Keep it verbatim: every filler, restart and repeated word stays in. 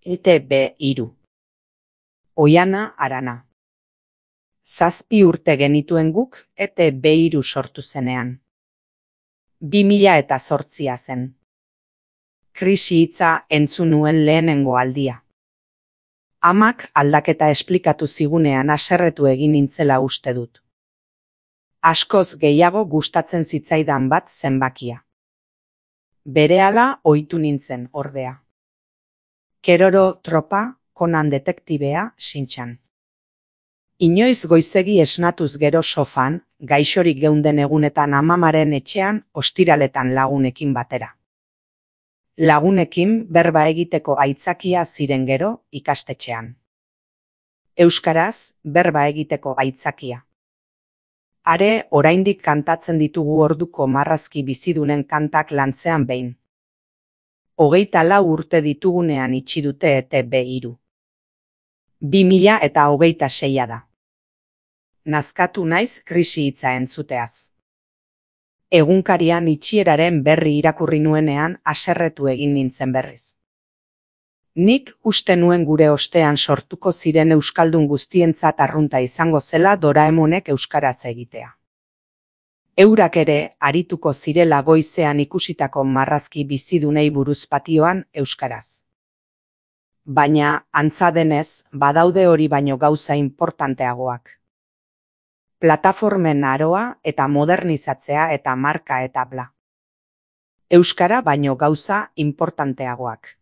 E T B hiru. Oiana Arana. Zazpi urte genituen guk E T B hiru sortu zenean. Bi mila eta zortzia zen. Krisi hitza entzun nuen lehenengo aldia. Amak aldaketa esplikatu zigunean haserretu egin nintzela uste dut. Askoz gehiago gustatzen zitzaidan bat zenbakia. Berehala ohitu nintzen ordea. Keroro tropa, Conan detektibea, Shin-chan. Inoiz goizegi esnatuz gero sofan, gaixorik geunden egunetan amamaren etxean ostiraletan lagunekin batera. Lagunekin berba egiteko aitzakia ziren gero ikastetxean. Euskaraz berba egiteko aitzakia. Are oraindik kantatzen ditugu orduko marrazki bizidunen kantak lantzean behin. Hogeita lau urte ditugunean itxi dute E T B hiru. Bi mila eta hogeita seia da. Nazkatu naiz krisi hitza entzuteaz. Egunkarian itxieraren berri irakurri nuenean haserretu egin nintzen berriz. Nik uste nuen gure ostean sortuko ziren euskaldun guztientzat arrunta izango zela Doraemonek euskaraz egitea. Eurak ere arituko zirela goizean ikusitako marrazki bizidunei buruz patioan euskaraz. Baina, antza denez, badaude hori baino gauza inportanteagoak. Plataformen aroa eta modernizatzea eta marka eta bla. Euskara baino gauza inportanteagoak.